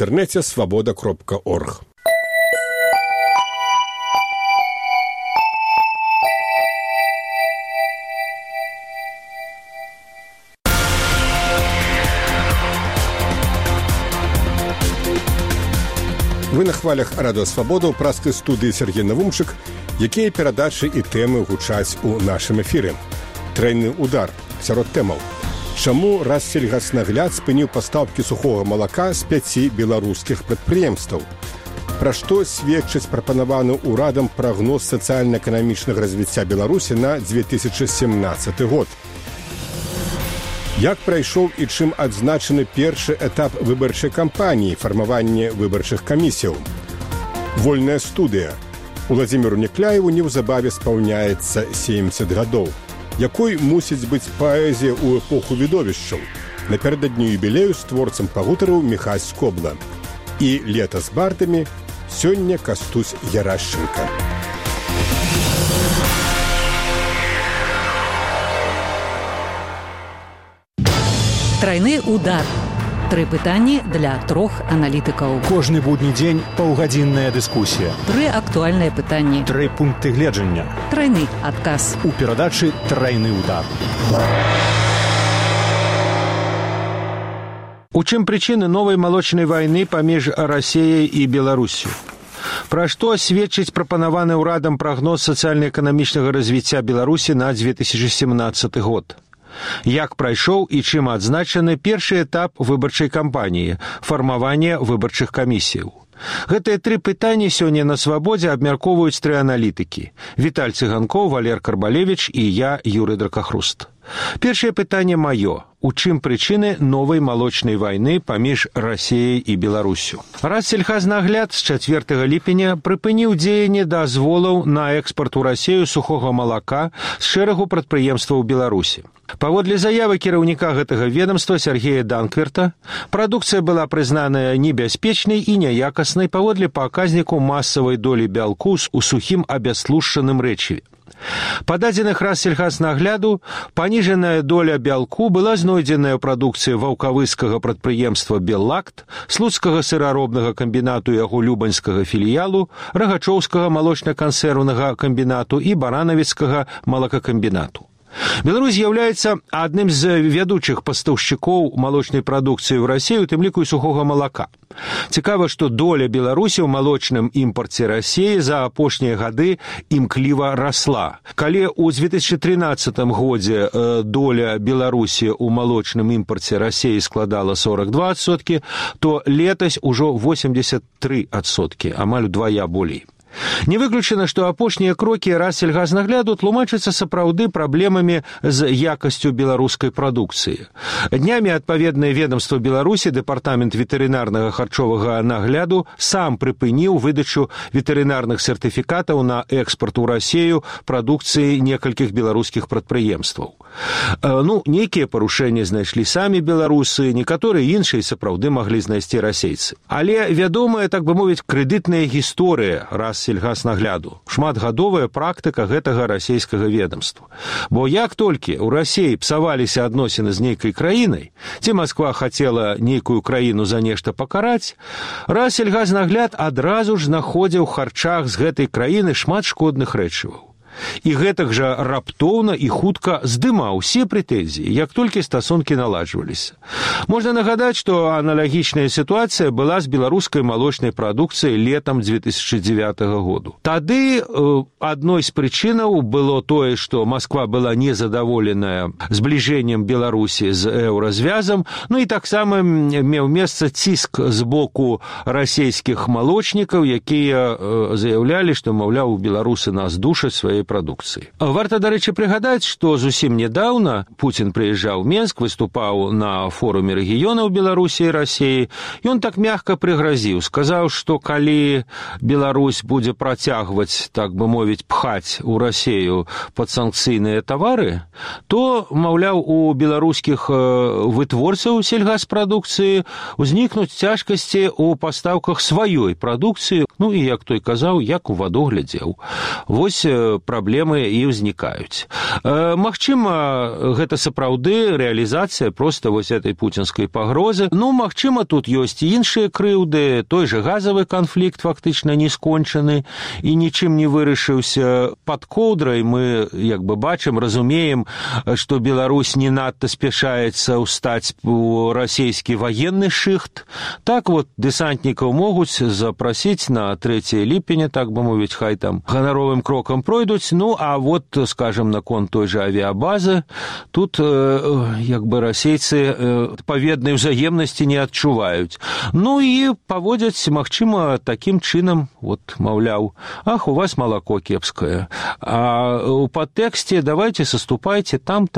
інтэрнэце свабода.орг. Вы на хвалях Радыё Свабода ў праскай студыі Сергей Навумчык, якія перадачы і тэмы гучаць у нашым эфіры. Трайны удар сярод тэмаў. Чаму Рассельгаснагляд спыніў пастаўкі сухога малака з 5 беларускіх прадпрыемстваў? Пра што сведчыць прапанаваны ўрадам прагноз сацыяльна-эканамічнага развіцця Беларусі на 2017 год? Як прайшоў і чым адзначаны першы этап выбарчай кампаніі, фармаванне выбарчых камісіяў? Вольная студыя. Уладзіміру Некляеву неўзабаве спаўняецца 70 гадоў. Якой мусіць быць паэзія ў эпоху відовішчаў? Напярэдадні юбілею з творцам пагутарыў Міхась Скобла. І лета з бардамі сёння Кастусь Ярашченка. Трайны удар. 3 пытанні для 3 аналітыкаў. Кожны будні дзень паўгадзінная дыскусія. 3 актуальныя пытанні. 3 пункты гледжання. Трайны адказ. У перадачы «Трайны удар». У чым прычыны новай малочнай вайны паміж Расіяй і Беларуссю? Пра што сведчыць прапанаваны ўрадам прагноз сацыяльна-эканамічнага развіцця Беларусі на 2017 год? Як прайшоў і чым адзначаны першы этап выбарчай кампаніі – фармаванне выбарчых камісіяў? Гэтыя 3 пытанні сёння на Свабодзе абмяркоўваюць 3 аналітыкі – Віталь Цыганкоў, Валер Карбалевіч і я, Юрый Дракахруст. Першае пытанне маё. У чым прычыны новай малочнай вайны паміж Расіяй і Беларуссю? Рассельхазнагляд з 4 ліпеня прыпыніў дзеянне дазволаў на экспарт у Расію сухога малака з шэрагу прадпрыемстваў Беларусі. Паводле заявы кіраўніка гэтага ведомства Сергея Данкверта, прадукцыя была прызнаная небяспечнай і няякаснай паводле паказніку масавай долі бялку у сухім абястлушчаным рэчыве. Па дадзеных Рассельхазнагляду, паніжаная доля бялку была знойдзеная ў прадукцыі ваўкавыскага прадпрыемства «Беллакт», слуцкага сыраробнага камбінату яго любаньскага філіялу, рагачоўскага малочна-кансервнага камбінату і баранавіцкага малакакамбінату. Беларусь з'яўляецца адным з вядучых пастаўшчыкоў малочнай прадукцыі ў Расію, у тым ліку і сухога малака. Цікава, што доля Беларусі ў малочным імпарце Расіі за апошнія гады імкліва расла. Калі ў 2013 годзе доля Беларусі ў малочным імпарце Расіі складала 42%, то летась ужо 83%, амаль удвая болей. Не выключана, што апошнія крокі Рассельгазнагляду тлумачацца сапраўды праблемамі з якасцю беларускай прадукцыі. Днямі адпаведнае ведомства Беларусі, дэпартамент ветэрынарнага харчовага нагляду, сам прыпыніў выдачу ветэрынарных сертыфікатаў на экспарт у Расію прадукцыі некалькіх беларускіх прадпрыемстваў. Нейкія парушэнні знайшлі самі беларусы, некаторыя іншыя сапраўды маглі знайсці расейцы. Але вядомая, так бы мовіць, крэдытная гісторыя Рассельгазнагляду, шматгадовая практыка гэтага расійскага ведомства. Бо як толькі ў Расіі псаваліся адносіны з нейкай краінай, ці Масква хацела нейкую краіну за нешта пакараць, Рассельгазнагляд адразу ж знаходзіў у харчах з гэтай краіны шмат шкодных рэчываў. І гэтак жа раптоўна і хутка здымаў усе прэтэнзіі, як толькі стасункі наладжваліся. Можна нагадаць, што аналагічная сітуацыя была з беларускай малочнай прадукцыяй летам 2009 году. Тады адной з прычынаў было тое, што Масква была незадаволеная збліжэннем Беларусі з еўразвязам, і таксама меў месца ціск з боку расійскіх малочнікаў, якія заяўлялі, што, маўляў, беларусы нас душаць сваёй прадукцыі. Варта, дарэчы, прыгадаць, што зусім нядаўна Пуцін прыязджаў у Менск, выступаў на форуме рэгіёнаў Беларусі і Расіі, і ён так мякка прыгразіў, сказаў, што калі Беларусь будзе працягваць, так бы мовіць, пхаць у Расію падсанкцыйныя тавары, то, маўляў, у беларускіх вытворцаў сельгаспрадукцыі узнікнуць цяжкасці ў пастаўках сваёй прадукцыі, і, як той казаў, як у ваду глядзеў. Вось праблемы і ўзнікаюць. Магчыма, гэта сапраўды рэалізацыя проста вось этой пуцінскай пагрозы. Ну, магчыма, тут ёсць і іншыя крыўды, той же газавы канфлікт фактычна не скончаны і нічым не вырашыўся. Пад коўдрай мы, як бы бачым, разумеем, што Беларусь не надта спяшаецца ўстаць у расійскі ваенны шыхт. Так вот, дэсантнікаў могуць запрасіць на 3 ліпеня, так бы мовіць, хай там ганаровым крокам пройдуць. Ну, а вот, скажем, наконт той же авіабазы, тут як бы расейцы паведнай узаемнасці не адчуваюць. Ну і паводзяць, магчыма, такім чынам, вот, маўляў, ах, у вас малако кепскае. А у падтэксце давайте саступайце там.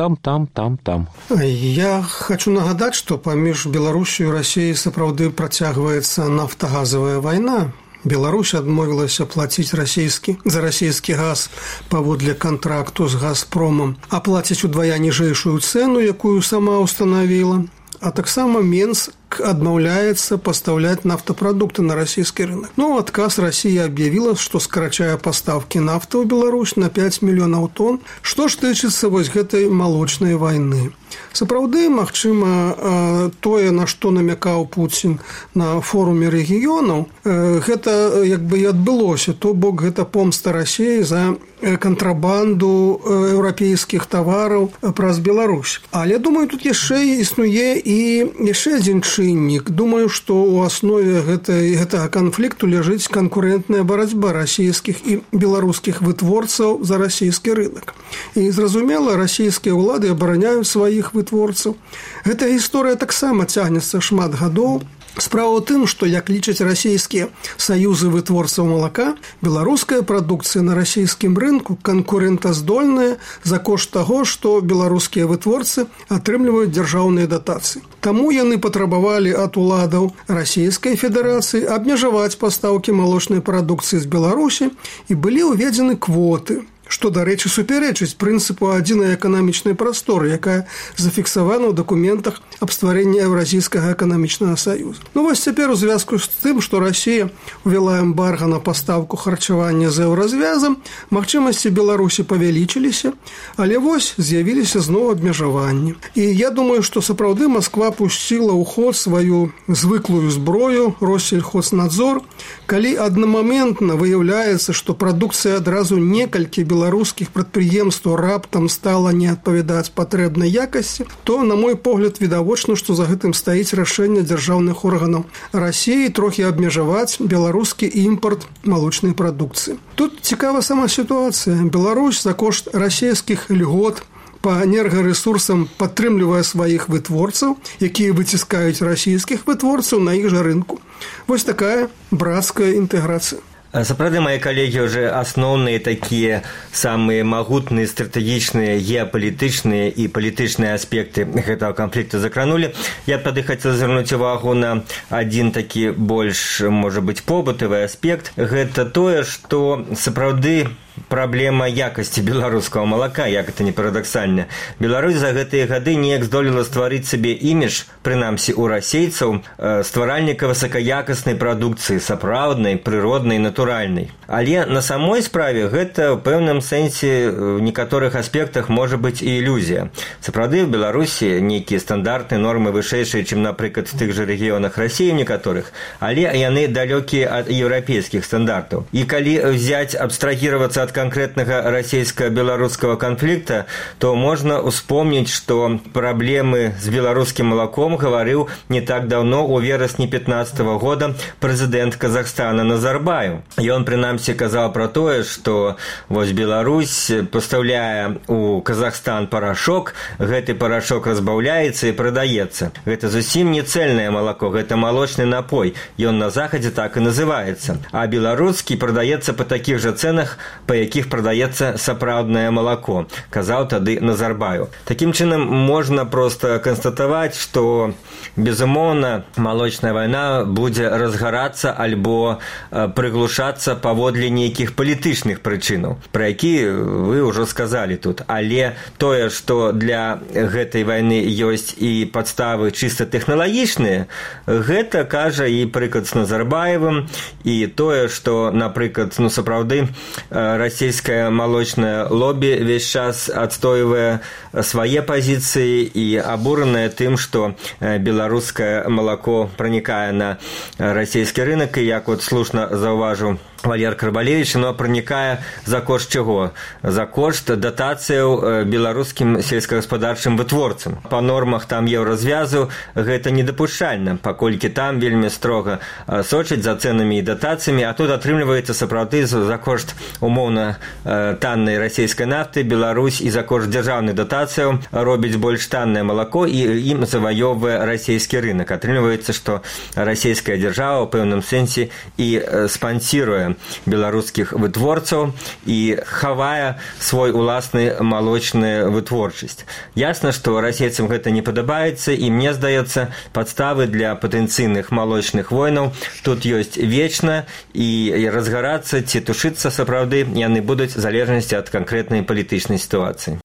Я хочу нагадаць, што паміж Беларусью і Расіяй сапраўды працягваецца нафтагазавая вайна. Беларусь адмовілася плаціць за расійскі газ паводле кантракту з «Газпромом», а плаціць удвая ніжэйшую цэну, якую сама ўстанавіла. А таксама Менск адмаўляецца пастаўляць нафтапрадукты на расійскі рынок. Ну, адказ Расія аб'явіла, што скарачае пастаўкі нафты ў Беларусь на 5 мільёнаў тонн. Што ж тычыцца вось гэтай малочнай вайны? Сапраўды, магчыма, тое, на што намякаў Пуцін на форуме рэгіёнаў, гэта як бы і адбылося. То бок гэта помста Расіі за кантрабанду еўрапейскіх тавараў праз Беларусь. Але, думаю, тут яшчэ існуе і яшчэ адзін чыннік. Думаю, што ў аснове гэтага канфлікту ляжыць канкурэнтная барацьба расійскіх і беларускіх вытворцаў за расійскі рынок. І, зразумела, расійскія ўлады абараняюць сваіх вытворцаў. Гэта гісторыя таксама цягнецца шмат гадоў. Справа ў тым, што, як лічаць расійскія саюзы вытворцаў малака, беларуская прадукцыя на расійскім рынку канкурэнтаздольная за кошт таго, што беларускія вытворцы атрымліваюць дзяржаўныя датацыі. Таму яны патрабавалі ад уладаў Расійскай Федэрацыі абмежаваць пастаўкі малочнай прадукцыі з Беларусі і былі ўведзены квоты, што, дарэчы, супярэчыць прынцыпу адзінай эканамічнай прасторы, якая зафіксавана ў дакументах аб стварэнні Еўразійскага эканамічнага саюза. Ну вось цяпер у звязку з тым, што Расія увяла эмбарга на пастаўку харчавання з еўразвязам, магчымасці Беларусі павялічыліся, але вось з'явіліся зноў абмежаванні. І я думаю, што сапраўды Масква пусціла ў ход сваю звыклую зброю Россельхознадзор, калі аднамаментна выяўляецца, што прадукцыя адразу некалькі беларускіх прадпрыемстваў раптам стала не адпавядаць патрэбнай якасці, то, на мой погляд, відавочна, што за гэтым стаіць рашэнне дзяржаўных органаў Расіі трохі абмежаваць беларускі імпарт малочнай прадукцыі. Тут цікава сама сітуацыя. Беларусь за кошт расійскіх льгот па энергарэсурсам падтрымлівае сваіх вытворцаў, якія выціскаюць расійскіх вытворцаў на іх жа рынку. Вось такая брацкая інтэграцыя. Сапраўды, мои коллеги уже основные такие самые магутные стратегічныя геапалітычныя і палітычныя аспекты гэтага канфлікту закранули. Я тады хотел звярнуць увагу на один такі больш, можа быць, побытавы аспект. Гэта тое, што сапраўды праблема якасці беларускага малака, як это не парадаксальна. Беларусь за гэтыя гады неяк здолела стварыць сабе імідж, прынамсі у расейцаў, стваральніка высакаякаснай прадукцыі, сапраўднай, прыроднай, натуральнай. Але на самой справе гэта ў пэўным сэнсе ў некаторых аспектах можа быць і ілюзія. Сапраўды, в Беларусі нейкія стандартныя нормы вышэйшыя, чым, напрыклад, в тых жа рэгіёнах Расіі некаторых, але яны далёкія ад еўрапейскіх стандартаў. І калі взять, абстрагіравацца ад конкретного российско-белорусского конфликта, то можно вспомнить, что проблемы с белорусским молоком говорил не так давно, у вересня 2015 года, президент Казахстана Назарбаев. И он, принамсі, казал про то, что вот Беларусь, поставляя у Казахстан порошок, гэты порошок разбавляется и продается. Это зусім не цельное молоко, это молочный напой, и он на Заходе так и называется. А белорусский продается по таких же ценах, по якіх прадаецца сапраўднае малако, казаў тады Назарбаев. Такім чынам можна проста канстатаваць, што, безумоўна, малочная вайна будзе разгарацца альбо прыглушацца паводле нейкіх палітычных прычынаў, пра які вы ўжо сказалі тут. Але тое, што для гэтай вайны ёсць і падставы чыста тэхналагічныя, гэта кажа і прыклад з Назарбаевым, і тое, што, напрыклад, сапраўды Расія расійскае малочнае лобі весь час адстойвае свае пазіцыі і абуранае тым, што беларускае малако пранікае на расійскі рынок, і як от слушна заўважыў Валер Карбалевич, но пранікае за кошт чаго? За кошт датацыяў беларускім сельскагаспадарчым вытворцам. Па нормах там еўразвязу гэта недапушчальна, паколькі там вельмі строга сочаць за цэнамі і датацыямі, а тут атрымліваецца сапраўды за кошт умоўна таннай расійскай нафты Беларусь і за кошт дзяржаўных датацыяў робіць больш таннае малако і ім заваёўвае расійскі рынок. Атрымліваецца, што расійская дзяржава ў пэўным сэнсе і спансіруе беларускіх вытворцаў і хавае свой уласны малочную вытворчасць. Ясна, што расейцам гэта не падабаецца, і мне здаецца, падставы для патэнцыйных малочных войнаў тут ёсць вечна, і разгарацца ці тушыцца сапраўды яны будуць в залежнасці ад канкрэтнай палітычнай сітуацыі.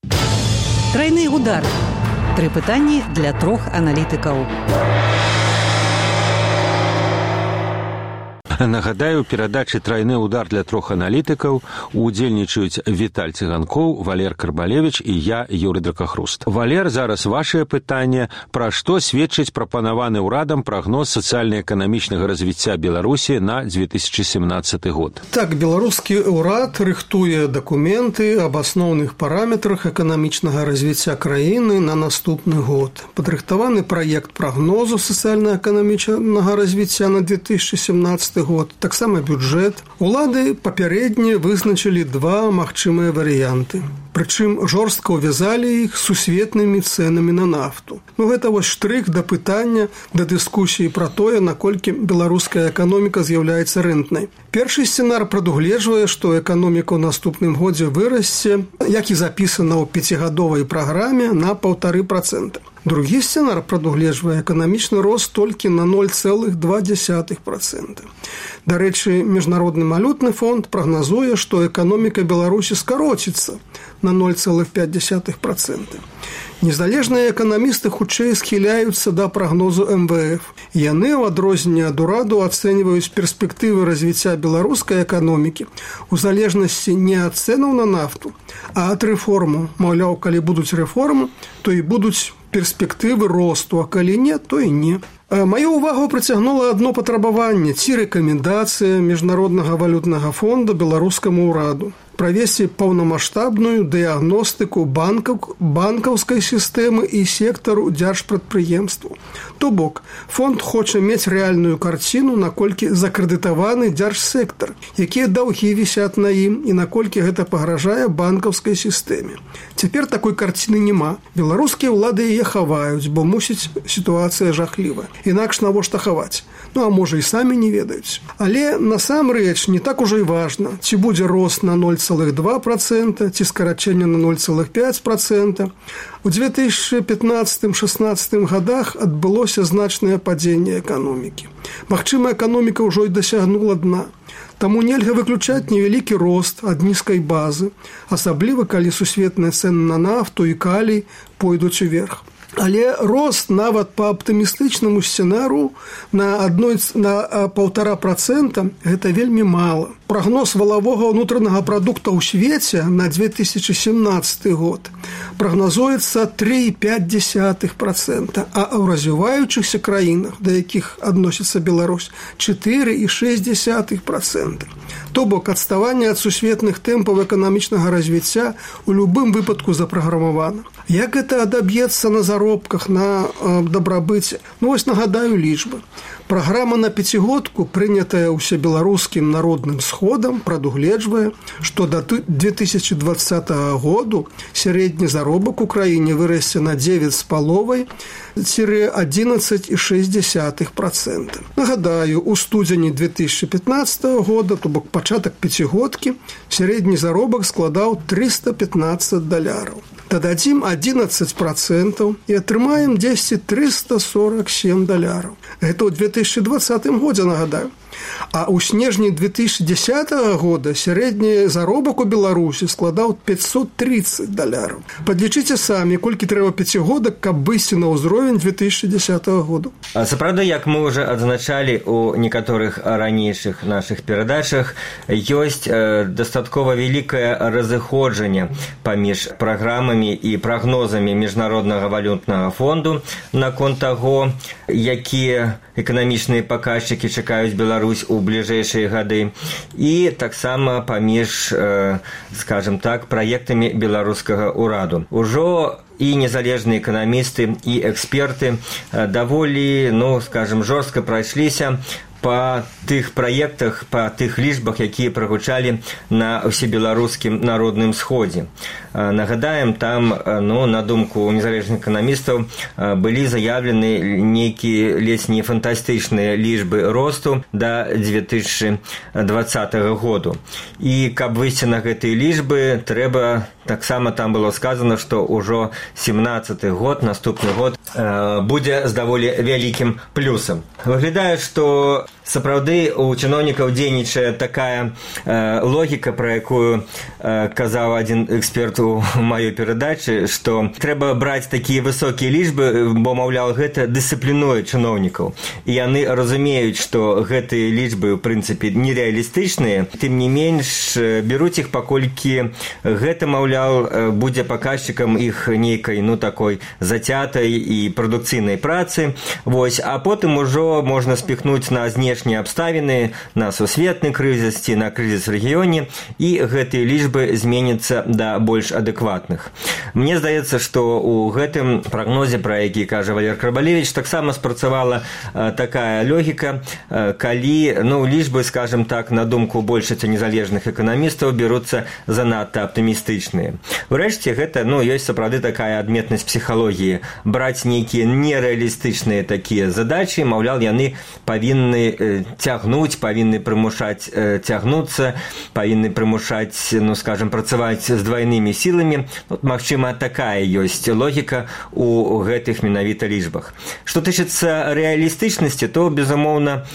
Тройны удар. 3 пытанні для 3 аналітыкаў. Нагадаю, у перадачы «Тройны удар» для 3 аналітыкаў удзельнічаюць Віталь Цыганкоў, Валер Карбалевич і я, Юрый Дракахруст. Валер, зараз вашее пытанне. Пра што сведчыць прапанаваны ўрадам прагноз сацыяльна-эканамічнага развіцця Беларусі на 2017 год? Так, беларускі ўрад рыхтуе дакументы аб асноўных параметрах эканамічнага развіцця краіны на наступны год. Падрыхтаваны праект прагнозу сацыяльна-эканамічнага развіцця на 2017 год, таксама бюджэт. Улады папярэдне вызначылі 2 магчымыя варыянты. Прычым жорстка ўвязалі іх сусветнымі цэнамі на нафту. Гэта вось штрых да пытання, да дыскусіі пра тое, наколькі беларуская эканоміка з'яўляецца рэнтнай. Першы сцэнар прадугледжвае, што эканоміка ў наступным годзе вырасце, як і запісана ў 5гадовай праграме, на 1,5%. Другі сцэнар прадугледжвае эканамічны рост толькі на 0,2%. Дарэчы, Міжнародны валютны фонд прагназуе, што эканоміка Беларусі скароціцца на 0,5%. Незалежныя эканамісты хутчэй схіляюцца да прагнозу МВФ. Яны, у адрозненне ад ураду, ацэньваюць перспектывы развіцця беларускай эканомікі у залежнасці не ад цэнаў на нафту, а ад рэформаў. Маўляў, калі будуць рэформы, то і будуць перспектывы росту, а калі не, то і не. Маю ўвагу прыцягнула адно патрабаванне ці рэкамендацыя Міжнароднага валютнага фонда беларускаму ўраду правесці паўнамаштабную дыягностыку банкаўскай сістэмы і сектару дзяржпрадпрыемстваў. То бок, фонд хоча мець рэальную карціну, наколькі закрэдытаваны дзяржсектар, якія даўгі вісяць на ім і наколькі гэта пагражае банкаўскай сістэме. Цяпер такой карціны няма. Беларускія ўлады яе хаваюць, бо мусіць сітуацыя жахлівая. Інакш навошта хаваць? А можа і самі не ведаюць. Але насамрэч не так ужо і важна, ці будзе рост на 0,2%, ці скарачэнне на 0,5%. У 2015-16 годах адбылося значнае падзенне эканомікі. Магчыма, эканоміка ўжо і дасягнула дна. Таму нельга выключаць невялікі рост ад нізкай базы, асабліва калі сусветныя цэны на нафту і калій пойдуць уверх. Але рост нават па аптымістычнаму сцэнару на 1,5% гэта вельмі мала. Прагноз валавога ўнутранага прадукта ў свеце на 2017 год прагназуецца 3,5%, а ў развіваючыхся краінах, да якіх адносіцца Беларусь, 4,6%. То бок адставанне ад сусветных тэмпаў эканамічнага развіцця ў любым выпадку запраграмавана. Як гэта адаб'ецца на заробках, на дабрабыце? Вось нагадаю лічбы. Праграма на 5гадку, прынятая ўсебеларускім народным сходам, прадугледжвае, што да 2020 году сярэдні заробак у краіне вырасце на 9,5–11,6%. Нагадаю, у студзені 2015 года, то бок пачатак 5гадкі, сярэдні заробак складаў $315. Дададзім 11% і атрымаем $347. Гэта ў 2020 годзе, нагадаю. А ў снежні 2010 года сярэдні заробак у Беларусі складаў $530. Падлічыце самі, колькі трэба пяцігодак, каб выйсці на ўзровень 2010 года. Сапраўды, як мы ўжо адзначалі ў некаторых ранейшых нашых перадачах, ёсць дастаткова вялікае разыходжанне паміж праграмамі і прагнозамі Міжнароднага валютнага фонду наконт таго, якія эканамічныя паказчыкі чакаюць Беларусь у бліжэйшыя гады, і таксама паміж, скажем так, праектамі беларускага ўраду. Ужо і незалежныя эканамісты, і эксперты даволі, скажем, жорстка прайшліся па тых праектах, па тых лічбах, якія прагучалі на ўсебеларускім народным сходзе. Нагадаем, там, на думку незалежных эканамістаў, былі заявлены нейкія ледзь не фантастычныя лічбы росту да 2020 году. І каб выйсці на гэтыя лічбы, трэба, таксама там было сказано, што ўжо 17-й год, наступны год, будзе з даволі вялікім плюсам. Выглядае, што сапраўды у чыноўнікаў дзейнічае такая логіка, пра якую казаў адзін эксперт у маёй перадачы, што трэба браць такія высокія лічбы, бо, маўляў, гэта дысцыплінуе чыноўнікаў. І яны разумеюць, што гэтыя лічбы, у прынцыпе, нерэалістычныя, тым не менш бяруць іх, паколькі гэта, маўляў, будзе паказчыкам іх нейкай, такой зацятай і прадукцыйнай працы. Вось, а потым ужо можна спіхнуць на знешнія абставіны, на сусветны крызіс ці на крызіс в рэгіёне, і гэтыя лічбы зменяцца да больш адэкватных. Мне здаецца, што ў гэтым прагнозе, пра які кажа Валер Карбалевіч, таксама спрацавала такая логіка, калі лічбы, скажем так, на думку большасці незалежных эканамістаў бяруцца занадта аптымістычныя. Урэшце, гэта ёсць сапраўды такая адметнасць псіхалогіі. Браць нейкія нерэалістычныя такія задачы, маўляў, яны павінны цягнуць, павінны прымушаць цягнуцца, павінны прымушаць, скажем, працаваць з двайнымі сіламі. Магчыма, такая ёсць логіка у гэтых менавіта лічбах. Што тычыцца рэалістычнасці, то, безумоўна,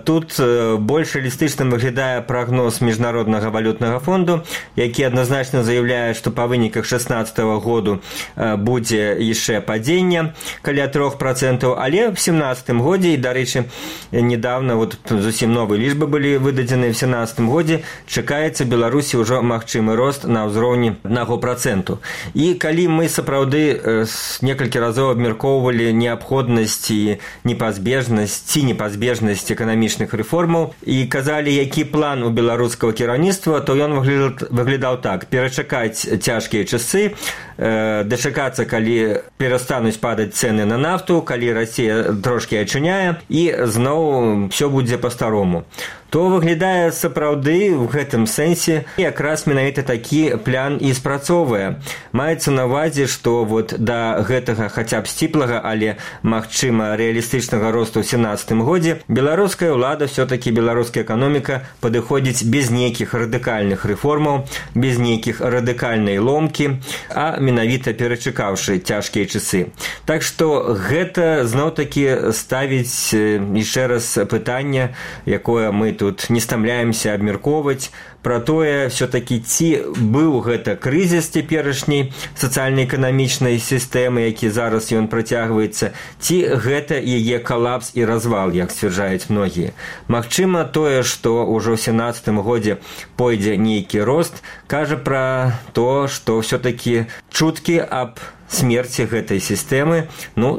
тут больш рэалістычным выглядае прагноз Міжнароднага валютнага фонду, які адназначна заяўляе, што па выніках 2016 году будзе яшчэ падзенне каля 3%, але в 2017 годзе, і, дарэчы, недавно зусім новыя лічбы былі выдадзены в 2017 годзе, чакаецца Беларусі ўжо магчымы рост на ўзроўні 1%. І калі мы сапраўды некалькі разоў абмяркоўвалі неабходнасць і непазбежнасць эканамічных рэформаў і казалі, які план у беларускага кіраўніцтва, то ён выглядаў так: перачакаць цяжкія часы, дачакацца, калі перастануць падаць цэны на нафту, калі Расія трошкі ачуняе, і зноў все будзе па-старому. То выглядае сапраўды в гэтым сэнсе якраз менавіта такі план і спрацоўвае. Маецца на ўвазе, што да гэтага хаця б сціплага, але, магчыма, рэалістычнага росту ў 2017 годзе беларуская ўлада, все-таки беларуская эканоміка падыходзіць без нейкіх радыкальных рэформаў, без нейкіх радыкальнай ломкі, а менавіта перачакаўшы цяжкія часы. Так што гэта зноў-такі ставіць яшчэ раз пытанне, якое мы тут не стамляемся абмяркоўваць, пра тое, все-таки ці быў гэта крызіс цяперашняй сацыяльна-эканамічнай сістэмы, які зараз ён працягваецца, ці гэта яе калапс і развал, як сцвярджаюць многія. Магчыма, тое, што ўжо ў 2017 годзе пойдзе нейкі рост, кажа пра то, што все-таки чуткі аб смерці гэтай сістэмы,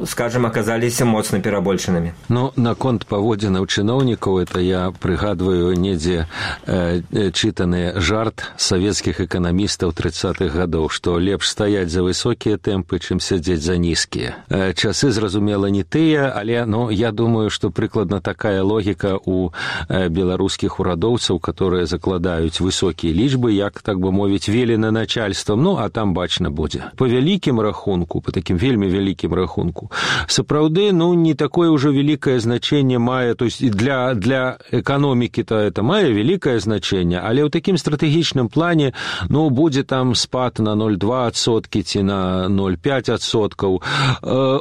скажем, аказаліся моцна перабольшанымі. Наконт паводзінаў чыноўнікаў, это я прыгадваю недзе чытаны жарт савецкіх эканамістаў 30-х гадоў, што лепш стаяць за высокія тэмпы, чым сядзець за нізкія. Часы, зразумела, не тыя, але я думаю, што прыкладна такая логіка у беларускіх урадоўцаў, которые закладаюць высокія лічбы, як, так бы мовіць, велена начальствам, а там бачна будзе. Па вялікім рахунку рахунку, по таким вельмі вялікім рахунку, сапраўды, не такое ўжо вялікае значэнне мае, то есть для эканомікі-то это мае вялікае значэнне, але ў такім стратэгічным плане, будзе там спад на 0,2% ці на 0,5%.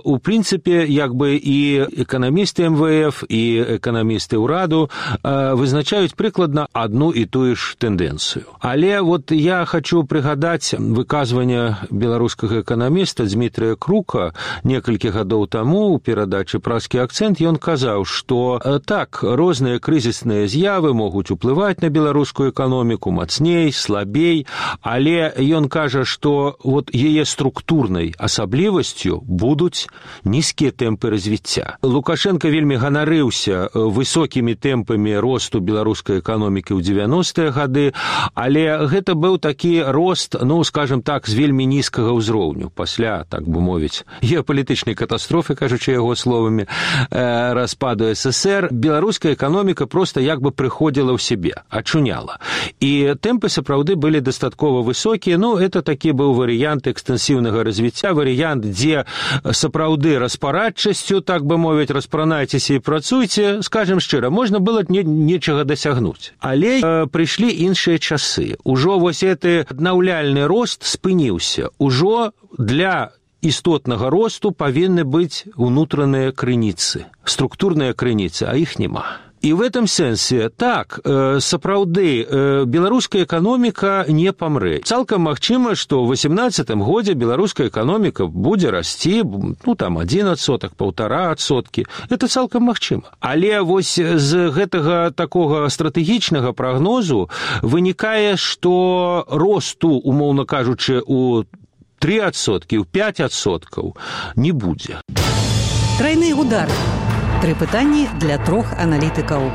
У прынцыпе, і эканамісты МВФ, і эканамісты ўраду вызначаюць прыкладна адну і тую ж тэндэнцыю. Але я хочу прыгадаць выказванне беларускага эканаміста Дмітрия Крука некалькі гадоў таму ў перадачы «Праскі акцэнт». Ён казаў, што так, розныя крызісныя з'явы могуць уплываць на беларускую эканоміку мацней, слабей, але ён кажа, што яе структурнай асаблівасцю будуць нізкія тэмпы развіцця. Лукашенко вельмі ганарыўся высокімі тэмпамі росту беларускай эканомікі ў 90-е гады, але гэта быў такі рост, скажем так, з вельмі нізкага ўзроўню. Пасля, так бы мовіць, геапалітычнай катастрофы, кажучы яго словамі, распаду СССР, беларуская эканоміка проста прыходзіла ў сябе, ачуняла. І тэмпы сапраўды былі дастаткова высокія, это такі быў варыянт экстэнсіўнага развіцця, варыянт, дзе сапраўды распарадчасцю, так бы мовіць, распранайцеся і працуйце, скажем шчыра, можна было нечага дасягнуць. Але прыйшлі іншыя часы. Ужо гэты аднаўляльны рост спыніўся. Ужо для істотнага росту павінны быць унутраныя крыніцы, структурныя крыніцы, а іх няма. І в этом сэнсе, так, сапраўды, беларуская эканоміка не памрэ. Цалкам магчыма, што ў 18-м годзе беларуская эканоміка будзе расці, 1%, 1,5%. Это цалкам магчыма. Але з гэтага такога стратэгічнага прагнозу вынікае, што росту, умоўна кажучы, у 3%, у 5% не будзе. Трайны удар. 3 пытанні для 3 аналітыкаў.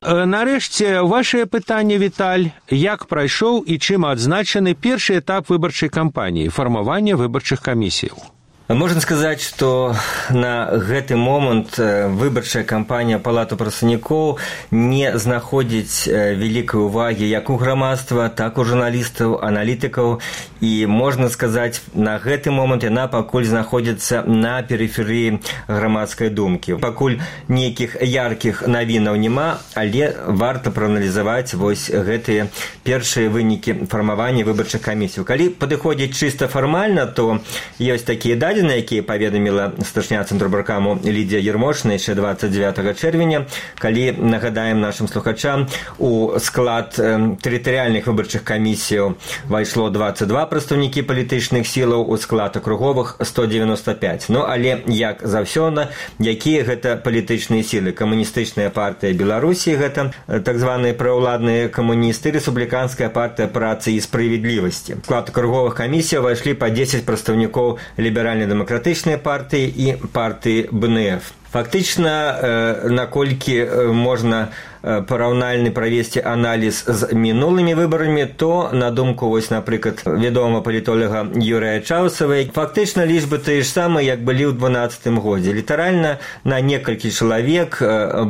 Нарэшце, вашае пытанне, Віталь. Як прайшоў і чым адзначаны першы этап выбарчай кампаніі, фармавання выбарчых камісіяў? Можна сказаць, што на гэты момант выбарчая кампанія Палаты прадстаўнікоў не знаходзіць вялікай увагі як у грамадства, так у журналістаў, аналітыкаў. І можна сказаць, на гэты момант яна пакуль знаходзіцца на перыферыі грамадскай думкі. Пакуль нейкіх яркіх навінаў няма, але варта прааналізаваць гэтыя першыя вынікі фармавання выбарчых камісій. Калі падыходзіць чыста фармальна, то ёсць такія дадзеныя, якія паведаміла старшыня Цэнтрабаркаму Лідія Ермошына яшчэ 29 чэрвеня, калі, нагадаем нашым слухачам, у склад тэрытарыяльных выбарчых камісіяў вайшло 22 прадстаўнікі палітычных сілаў, у склад акруговых 195. Але, як заўсёды, якія гэта палітычныя сілы? Камуністычная партыя Беларусі, гэта так званыя праўладныя камуністы, рэспубліканская партыя працы і справядлівасці. У склад акруговых камісіяў вайшлі па 10 прадстаўнікоў ліберальна-дэмакратычнай партыі і партыі БНФ. Фактычна, наколькі можна параўнальны правесці аналіз з мінулымі выбарамі, то, на думку, напрыклад, вядомага палітолага Юрыя Чаўсавай, фактычна лічбы тыя ж самыя, як былі ў 12-м годзе. Літаральна на некалькі чалавек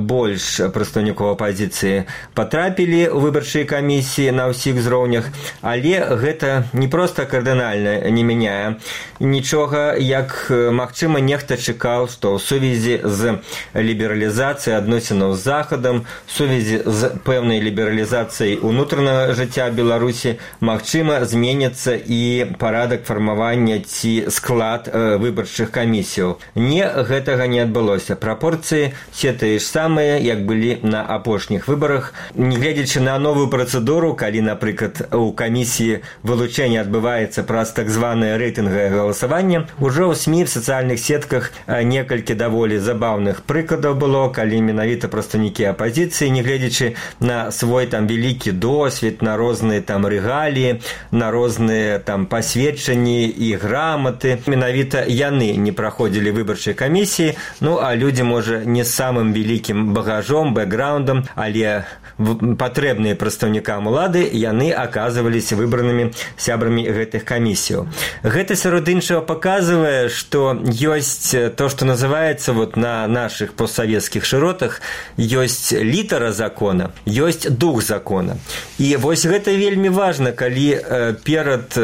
больш прадстаўнікоў апазіцыі патрапілі ў выбарчыя камісіі на ўсіх узроўнях, але гэта не проста кардынальна не мяняе нічога, як, магчыма, нехта чакаў, што ў сувязі з лібералізацыяй адносінаў з Захадам, сувязі з пэўнай лібералізацыяй унутранага жыцця Беларусі, магчыма, зменіцца і парадак фармавання ці склад выбарчых камісіяў. Гэтага не адбылося. Прапорцыі все тыя ж самыя, як былі на апошніх выбарах. Нягледзячы на новую працэдуру, калі, напрыклад, у камісіі вылучэння адбываецца праз так званае рэйтынгавае галасаванне, ужо ў СМІ, в сацыяльных сетках некалькі даволі забаўных прыкладаў было, калі менавіта прадстаўнікі апазіцыі, нягледзячы на свой вялікі досвед, на розныя рэгаліі, на розныя пасведчанні і граматы, менавіта яны не праходзілі выбарчай камісіі, а людзі, можа, не з самым вялікім багажом, бэкграундам, але патрэбныя прадстаўнікам улады, яны аказваліся выбранымі сябрамі гэтых камісіяў. Гэта, сярод іншага, паказвае, што ёсць то, што называецца на наших постсоветских широтах ёсць літара закона, ёсць дух закона. І вось гэта вельмі важна, калі перад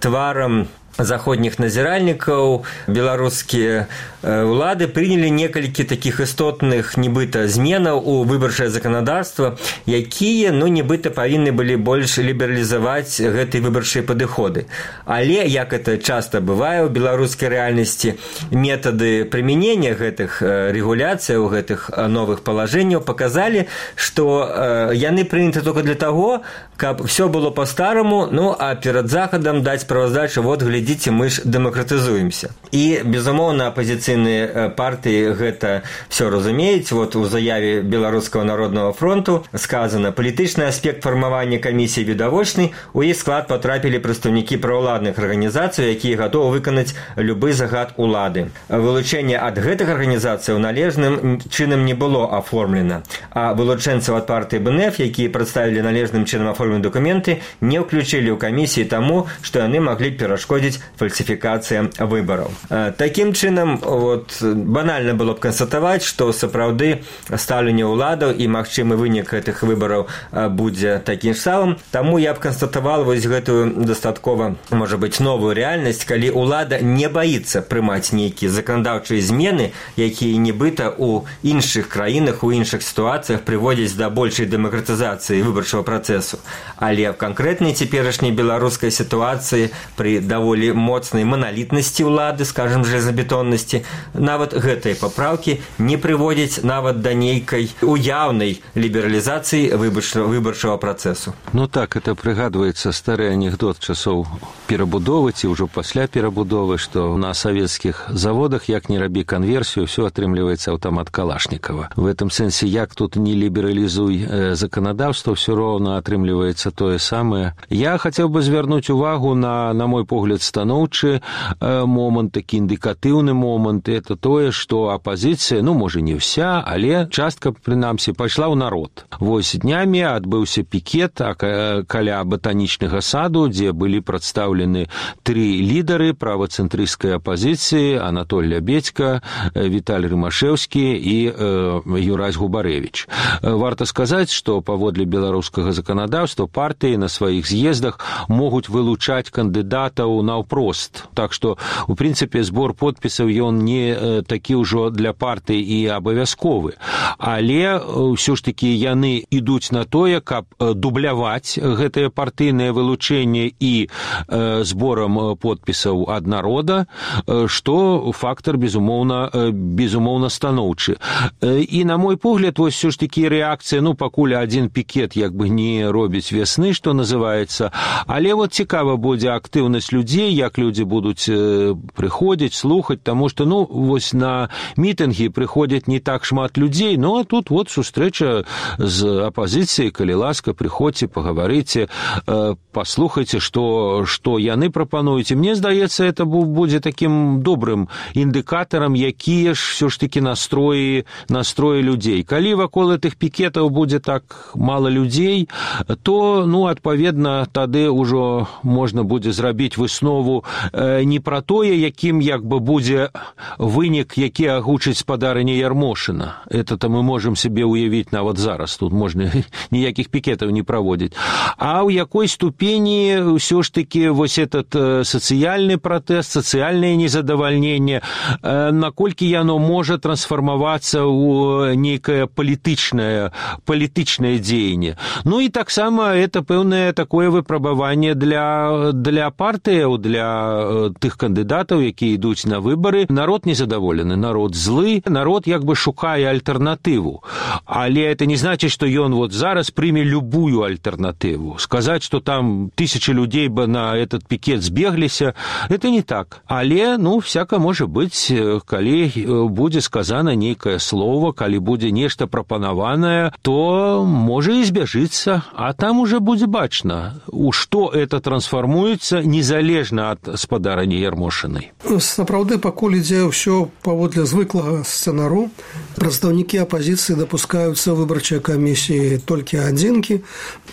тварам заходніх назіральнікаў беларускія ўлады прынялі некалькі такіх істотных нібыта зменаў у выбарчае заканадаўства, якія, нібыта павінны былі больш лібералізаваць гэтыя выбарчыя падыходы. Але, як это часта бывае ў беларускай рэальнасці, метады прымянення гэтых рэгуляцыяў, гэтых новых палажэнняў паказалі, што яны прыняты толькі для таго, каб все было па-стараму, а перад захадам даць справаздачу, вот, глядзіце, мы ж дэмакратызуемся. І, безумоўна, апазіцыйныя партыі гэта все разумеюць. Вот у заяве Беларускага народнага фронту сказано: палітычны аспект фармавання камісіі відавочны, у іх склад патрапілі прадстаўнікі праўладных арганізацый, якія гатовы выканаць любы загад улады. Вылучэнне ад гэтых арганізацыяў належным чынам не было аформлена, а вылучэнцаў ад партыі БНФ, якія прадставілі належным чынам аформленыя документы, не ўключылі ў камісіі таму, што яны маглі перашкодзіць фальсификация выборов. Таким чынам, банально было б констатовать, что сапраўды стаўленне ўладаў і магчымы вынік гэтых выбораў будзе такім самым. Таму я б констатавал гэтую дастаткова, можа быць, новую рэальнасць, калі ўлада не боится прымаць нейкія заканадаўчыя змены, якія нібыта у іншых краінах, у іншых сітуацыях прыводзяць да большай дэмакратызацыі выбарчага працэсу. Але в канкрэтнай цяперашняй беларускай сітуацыі пры даволі моцнай маналітнасці ўлады, скажем, железабетоннасці, нават гэтыя папраўкі не прыводзяць нават да нейкай уяўнай лібералізацыі выбарчага працэсу. Так, это прыгадваецца стары анекдот часоў перабудовы ці ўжо пасля перабудовы, што на савецкіх заводах, як не рабі канверсію, все атрымліваецца аўтамат Калашнікова. В этом сэнсе, як тут не лібералізуй заканадаўства, все роўна атрымліваецца тое самае. Я хацеў бы звярнуць увагу на мой погляд, станоўчы момант, такі індыкатыўны момант, это тое, што апазіцыя, можа не ўся, але частка, прынамсі, пайшла ў народ. Вось днямі адбыўся пікет каля батанічнага саду, дзе былі прадстаўлены 3 лідары правацэнтрысцкай апазіцыі: Анатоль Лябедзька, Віталь Рымашэўскі і Юрась Губарэвіч. Варта сказаць, што паводле беларускага заканадаўства партыі на сваіх з'ездах могуць вылучаць кандыдатаў наўпрост. Так што, у прынцыпе, збор подпісаў ён не такі ўжо для партыі і абавязковы. Але ўсё ж такі яны ідуць на тое, каб дубляваць гэтае партыйнае вылучэнне і зборам подпісаў ад народа, што фактар, безумоўна станоўчы. І, на мой погляд, вось ўсё ж такі рэакцыя, пакуль адзін пікет як бы не робіць вясны, што называецца, але цікава будзе актыўнасць людзей, як людзі будуць прыходзіць, слухаць, таму што, вось на мітынгі прыходзяць не так шмат людзей, а тут сустрэча з апазіцыяй, калі ласка, прыходзьце, пагаварыце, паслухайце, што яны прапануюць. І мне здаецца, это будзе такім добрым індыкатарам, якія ж все ж такі настроі людзей. Калі вакол гэтых пікетаў будзе так мала людзей, то, адпаведна, тады ўжо можна будзе зрабіць выснову не пра тое, якім як бы будзе вынік, які агучыць спадарыня Ярмошына. Это мы можам себе уявіць нават зараз. Тут можна ніякіх пікетаў не праводзіць. А ў якой ступені ўсё ж такі вось этот сацыяльны пратэст, сацыяльнае незадавальненне, наколькі яно можа трансфармавацца ў нейкае палітычнае дзеянне. І таксама это пэўнае такое выпрабаванне для партыяў, для тых кандыдатаў, якія ідуць на выбары. Народ незадаволены, народ злы, народ як бы шукае альтэрнатыву. Але это не значыць, што ён зараз прыме любую альтэрнатыву. Сказаць, што там 1000 людзей бы на этот пікет збегліся, это не так. Але, всяка можа быць, калі будзе сказана нейкае слово, калі будзе нешта прапанаванае, то можа і збяжыцца, а там уже будзе бачна, у што это трансфармуецца незалежна ад спадарыні Ярмошынай. Сапраўды, пакуль ідзе ідзе ўсё паводле звыклага сцэнару. Прадстаўнікі апазіцыі дапускаюцца выбарчыя камісіі толькі адзінкі.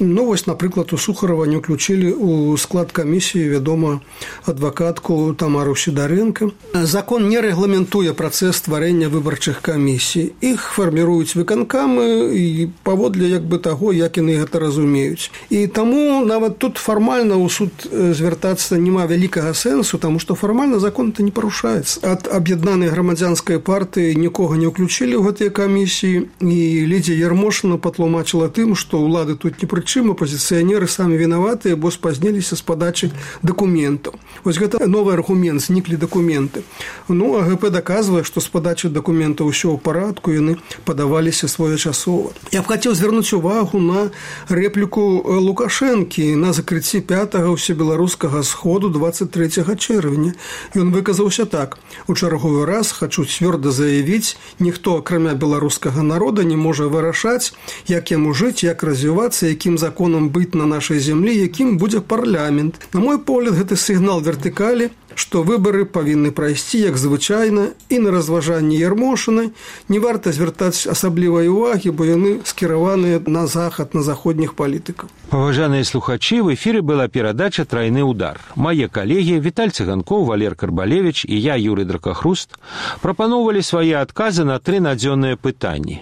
Вось, напрыклад, у Сухарова не ўключылі ў склад камісіі, вядома, адвакатку Тамару Сідарэнка. Закон не рэгламентуе працэс стварэння выбарчых камісій. Іх фарміруюць выканкамы і паводле таго, як яны гэта разумеюць. І таму нават тут фармальна ў суд звяртацца няма вялікага сэнсу, таму што фармальна закон-то не парушаецца. Ад аб'яднанай грамадзянскай партыі нікога не ўключылі ў гэтыя камісіі, і Лідзія Ярмошына патлумачыла тым, што ўлады тут ні пры чым, апазіцыянеры самі вінаватыя, бо спазніліся з падачы дакументаў. Вось гэта новы аргумент, зніклі дакументы. АГП даказвае, што з падачы дакументаў усё ў парадку, яны падаваліся своечасова. Я б хацеў звярнуць увагу на рэпліку Лукашэнкі на закрыцці 5-го ўсебеларускага сходу 23 чэрвеня. Ён выказаўся так: «У чарговы раз хочу цвёрда заявіць, ніхто, акрамя беларускага народа, не можа вырашаць, як яму жыць, як развівацца, якім законам быць на нашай зямлі, якім будзе парламент. На мой погляд, гэты сігнал вертыкалі, што выбары павінны прайсці як звычайна, і на разважанні Ярмошыны не варта звяртаць асаблівай увагі, бо яны скіраваныя на захад, на заходніх палітыкаў». Уважаемые слухачи, в эфире была передача «Тройный удар». Мои коллеги Виталь Цыганков, Валер Карбалевич и я, Юрий Дракохруст, пропановали свои отказы на 3 надзённыя пытанні.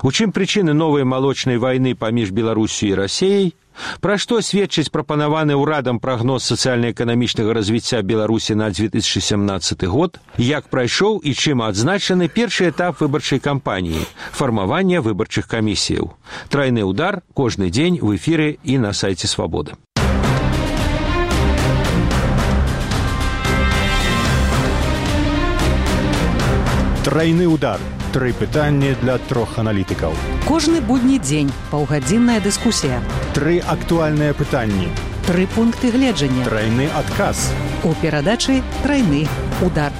У чым причины новой молочной войны паміж Беларусью и Россией? Пра што сведчыць прапанаваны ўрадам прагноз сацыяльна-эканамічнага развіцця Беларусі на 2017 год, як прайшоў і чым адзначаны першы этап выбарчай кампаніі – фармавання выбарчых камісіяў. Тройны удар кожны дзень в эфіры і на сайце Свабода. Тройны удар. 3 пытанні для 3 аналітыкаў. Кожны будні дзень паўгадзінная дыскусія. 3 актуальныя пытанні. 3 пункты гледжання. Тройны адказ. У перадачы «Тройны удар».